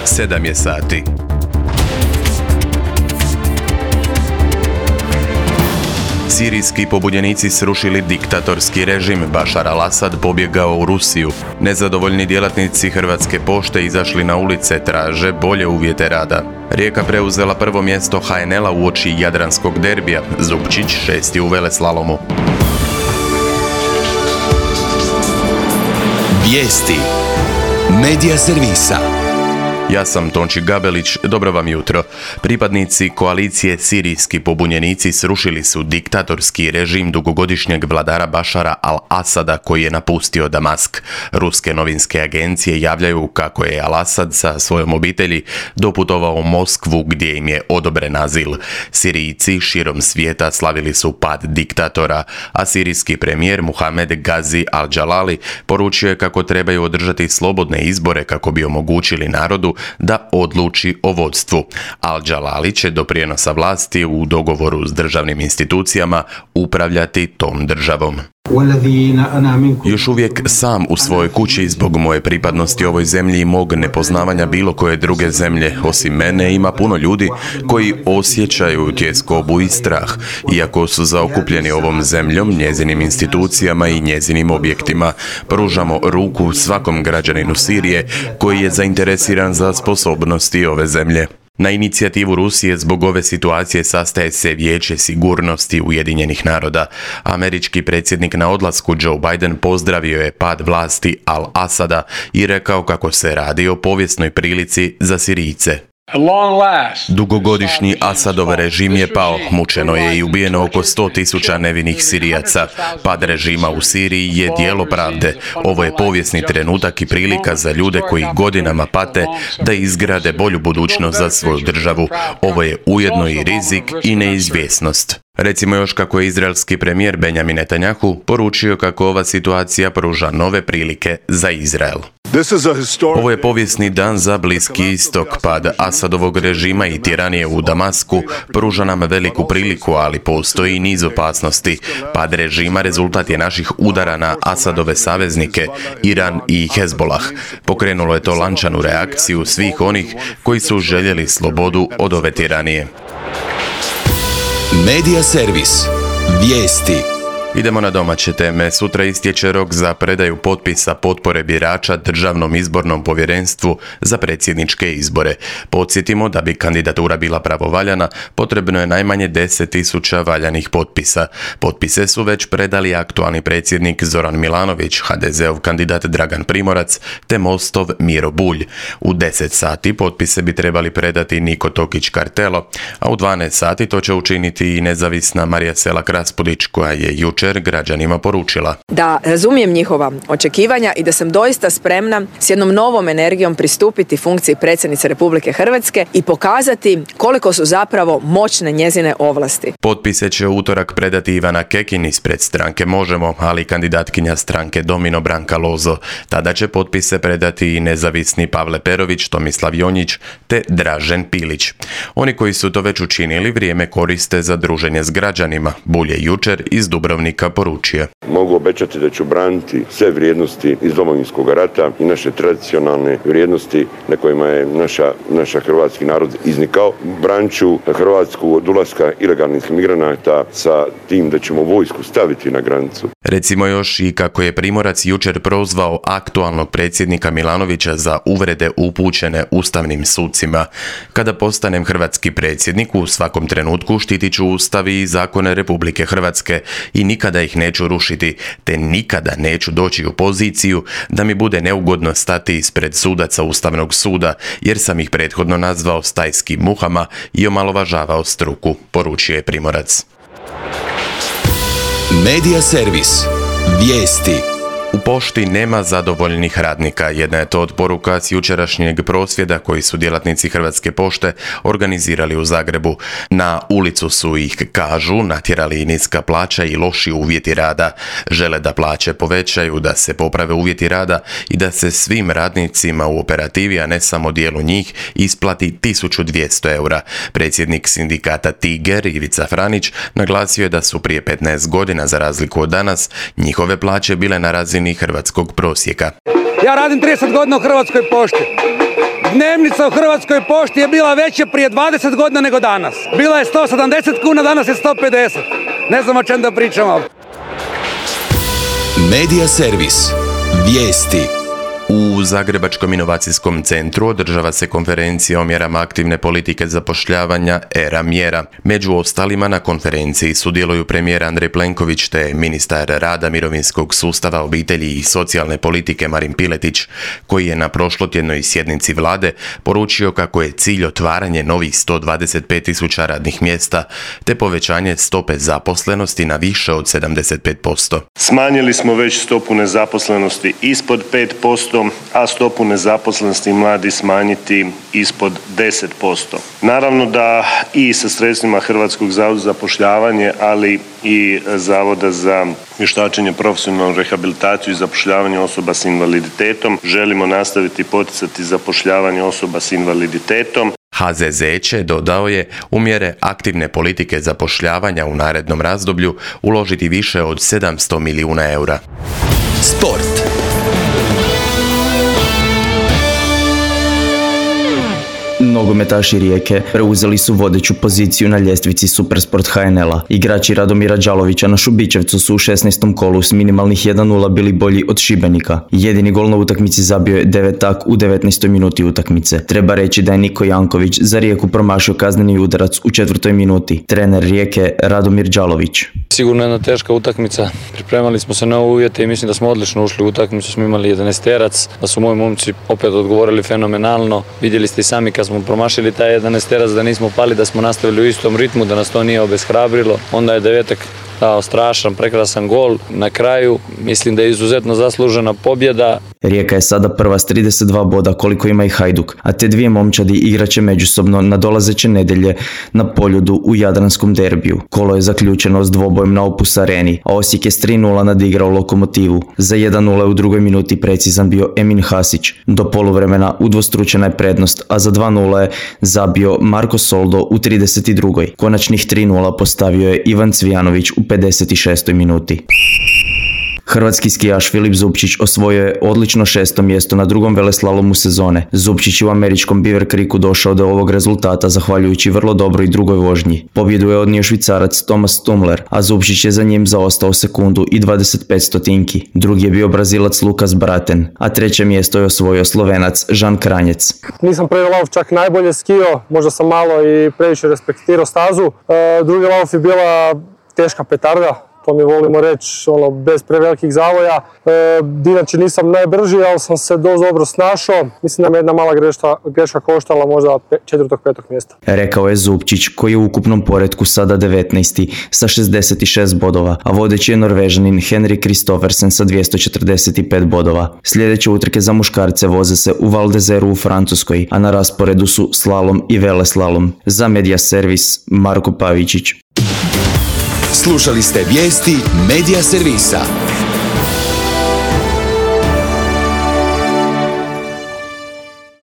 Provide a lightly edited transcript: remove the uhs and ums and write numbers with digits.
7 je sati. Sirijski pobunjenici srušili diktatorski režim, Bašar al-Asad pobjegao u Rusiju. Nezadovoljni djelatnici Hrvatske pošte izašli na ulice, traže bolje uvjete rada. Rijeka preuzela prvo mjesto HNL-a uoči jadranskog derbija, Zupčić 6. u veleslalomu. Vijesti Medija servisa. Ja sam Tonči Gabelić, dobro vam jutro. Pripadnici koalicije Sirijski pobunjenici srušili su diktatorski režim dugogodišnjeg vladara Bašara al-Asada koji je napustio Damask. Ruske novinske agencije javljaju kako je al-Asad sa svojom obitelji doputovao u Moskvu gdje im je odobren azil. Sirijci širom svijeta slavili su pad diktatora, a sirijski premijer Muhamed Gazi al-Jalali poručio je kako trebaju održati slobodne izbore kako bi omogućili narodu da odluči o vodstvu. Al-Jalali će do prijenosa vlasti u dogovoru s državnim institucijama upravljati tom državom. Još uvijek sam u svojoj kući zbog moje pripadnosti ovoj zemlji i mog nepoznavanja bilo koje druge zemlje. Osim mene ima puno ljudi koji osjećaju tjeskobu i strah, iako su zaokupljeni ovom zemljom, njezinim institucijama i njezinim objektima. Pružamo ruku svakom građaninu Sirije koji je zainteresiran za sposobnosti ove zemlje. Na inicijativu Rusije zbog ove situacije sastaje se Vijeće sigurnosti Ujedinjenih naroda. Američki predsjednik na odlasku Joe Biden pozdravio je pad vlasti al-Asada i rekao kako se radi o povijesnoj prilici za Sirijce. Dugogodišnji Asadov režim je pao, mučeno je i ubijeno oko 100.000 nevinih Sirijaca. Pad režima u Siriji je djelo pravde. Ovo je povijesni trenutak i prilika za ljude koji godinama pate da izgrade bolju budućnost za svoju državu. Ovo je ujedno i rizik i neizvjesnost. Recimo još kako je izraelski premijer Benjamin Netanjahu poručio kako ova situacija pruža nove prilike za Izrael. Ovo je povijesni dan za Bliski istok. Pad Asadovog režima i tiranije u Damasku pruža nam veliku priliku, ali postoji i niz opasnosti. Pad režima rezultat je naših udara na Asadove saveznike, Iran i Hezbolah. Pokrenulo je to lančanu reakciju svih onih koji su željeli slobodu od ove tiranije. Medija servis. Vijesti. Idemo na domaće teme. Sutra istječe rok za predaju potpisa potpore birača Državnom izbornom povjerenstvu za predsjedničke izbore. Podsjetimo da bi kandidatura bila pravovaljana, potrebno je najmanje 10.000 valjanih potpisa. Potpise su već predali aktualni predsjednik Zoran Milanović, HDZ-ov kandidat Dragan Primorac te Mostov Miro Bulj. U 10 sati potpise bi trebali predati Niko Tokić Kartelo, a u 12 sati to će učiniti i nezavisna Marija Selak Raspudić koja je jučer građanima poručila da razumijem njihova očekivanja i da sam doista spremna s jednom novom energijom pristupiti funkciji predsjednice Republike Hrvatske i pokazati koliko su zapravo moćne njezine ovlasti. Potpise će u utorak predati Ivana Kekin ispred stranke Možemo, ali kandidatkinja stranke Domino Branka Lozo. Tada će potpise predati i nezavisni Pavle Perović, Tomislav Jonjić te Dražen Pilić. Oni koji su to već učinili vrijeme koriste za druženje s građanima. Bulj je jučer iz Dubrovnika poručio. Mogu obećati da ću braniti sve vrijednosti iz Domovinskog rata i naše tradicionalne vrijednosti na kojima je naša hrvatski narod iznikao. Branit ću Hrvatsku od ulaska ilegalnih migranata sa tim da ćemo vojsku staviti na granicu. Recimo još i kako je Primorac jučer prozvao aktualnog predsjednika Milanovića za uvrede upućene ustavnim sucima. Kada postanem hrvatski predsjednik, u svakom trenutku štitit ću Ustav i zakone Republike Hrvatske i nikada ih neću rušiti, te nikada neću doći u poziciju da mi bude neugodno stati ispred sudaca Ustavnog suda, jer sam ih prethodno nazvao stajskim muhama i omalovažavao struku, poručio je Primorac. Medija servis. Vijesti. U pošti nema zadovoljnih radnika. Jedna je to od poruka s jučerašnjeg prosvjeda koji su djelatnici Hrvatske pošte organizirali u Zagrebu. Na ulicu su ih, kažu, natjerali niska plaća i loši uvjeti rada. Žele da plaće povećaju, da se poprave uvjeti rada i da se svim radnicima u operativi, a ne samo dijelu njih, isplati 1.200 eura. Predsjednik sindikata Tiger, Ivica Franić, naglasio je da su prije 15 godina, za razliku od danas, njihove plaće bile na razini hrvatskog prosjeka. Ja radim 30 godina u Hrvatskoj pošti. Dnevnica u Hrvatskoj pošti je bila veća prije 20 godina nego danas. Bila je 170 kuna, danas je 150. Ne znam o čem da pričamo. Medija servis. Vijesti. U Zagrebačkom inovacijskom centru održava se konferencija o mjerama aktivne politike zapošljavanja ERA mjera. Među ostalima na konferenciji sudjeluju premijer Andrej Plenković te ministar rada, mirovinskog sustava, obitelji i socijalne politike Marin Piletić, koji je na prošlotjednoj sjednici vlade poručio kako je cilj otvaranje novih 125.000 radnih mjesta te povećanje stope zaposlenosti na više od 75%. Smanjili smo već stopu nezaposlenosti ispod 5%, a stopu nezaposlenosti mladi smanjiti ispod 10%. Naravno da i sa sredstvima Hrvatskog zavoda za zapošljavanje, ali i Zavoda za vještačenje, profesionalnu rehabilitaciju i zapošljavanje osoba s invaliditetom želimo nastaviti poticati zapošljavanje osoba s invaliditetom. HZZ će, dodao je, u mjere aktivne politike zapošljavanja u narednom razdoblju uložiti više od 700 milijuna eura. Sport. Nogometaši Rijeke preuzeli su vodeću poziciju na ljestvici Supersport HNL-a. Igrači Radomira Đalovića na Šubićevcu su u 16. kolu s minimalnih 1:0 bili bolji od Šibenika. Jedini gol na utakmici zabio je Devetak u 19. minuti utakmice. Treba reći da je Niko Janković za Rijeku promašio kazneni udarac u 4. minuti. Trener Rijeke Radomir Đalović. Sigurno jedna teška utakmica. Pripremali smo se na uvjete i mislim da smo odlično ušli u utakmicu. Smo imali 11-terac, da su moji momci opet odgovorili fenomenalno. Vidjeli ste i sami kad smo promašili taj 11-terac da nismo pali, da smo nastavili u istom ritmu, da nas to nije obeshrabrilo. Onda je Devetak dao strašan, prekrasan gol. Na kraju mislim da je izuzetno zaslužena pobjeda. Rijeka je sada prva s 32 boda koliko ima i Hajduk, a te dvije momčadi igraće međusobno nadolazeće nedjelje na Poljudu u Jadranskom derbiju. Kolo je zaključeno s dvobojem na Opus Areni, a Osijek je s 3:0 nadigrao Lokomotivu. Za 1:0 u drugoj minuti precizan bio Emin Hasić. Do poluvremena udvostručena je prednost, a za 2:0 je zabio Marko Soldo u 32. Konačnih 3:0 postavio je Ivan Cvijanović u 56. minuti. Hrvatski skijaš Filip Zupčić osvojio je odlično 6. mjesto na drugom veleslalomu sezone. Zupčić je u američkom Beaver Creeku došao do ovog rezultata zahvaljujući vrlo dobroj drugoj vožnji. Pobjedu je odnio Švicarac Thomas Tumler, a Zupčić je za njim zaostao sekundu i 25 stotinki. Drugi je bio Brazilac Lukas Braten, a treće mjesto je osvojio Slovenac Žan Kranjec. Nisam prvi lauf čak najbolje skio, možda sam malo i previše respektirao stazu. Drugi lauf je bila teška petarda. To mi volimo reći, bez prevelikih zavoja. Inače nisam najbrži, ali sam se dosta dobro snašao. Mislim da me jedna mala greška koštala možda 4. 5. mjesta. Rekao je Zupčić, koji je u ukupnom poretku sada 19. sa 66 bodova, a vodeći je Norvežanin Henrik Kristoffersen sa 245 bodova. Sljedeće utrke za muškarce voze se u Val d'Izeru u Francuskoj, a na rasporedu su slalom i veleslalom. Za Medija servis Marko Pavičić. Slušali ste vijesti Medija servisa.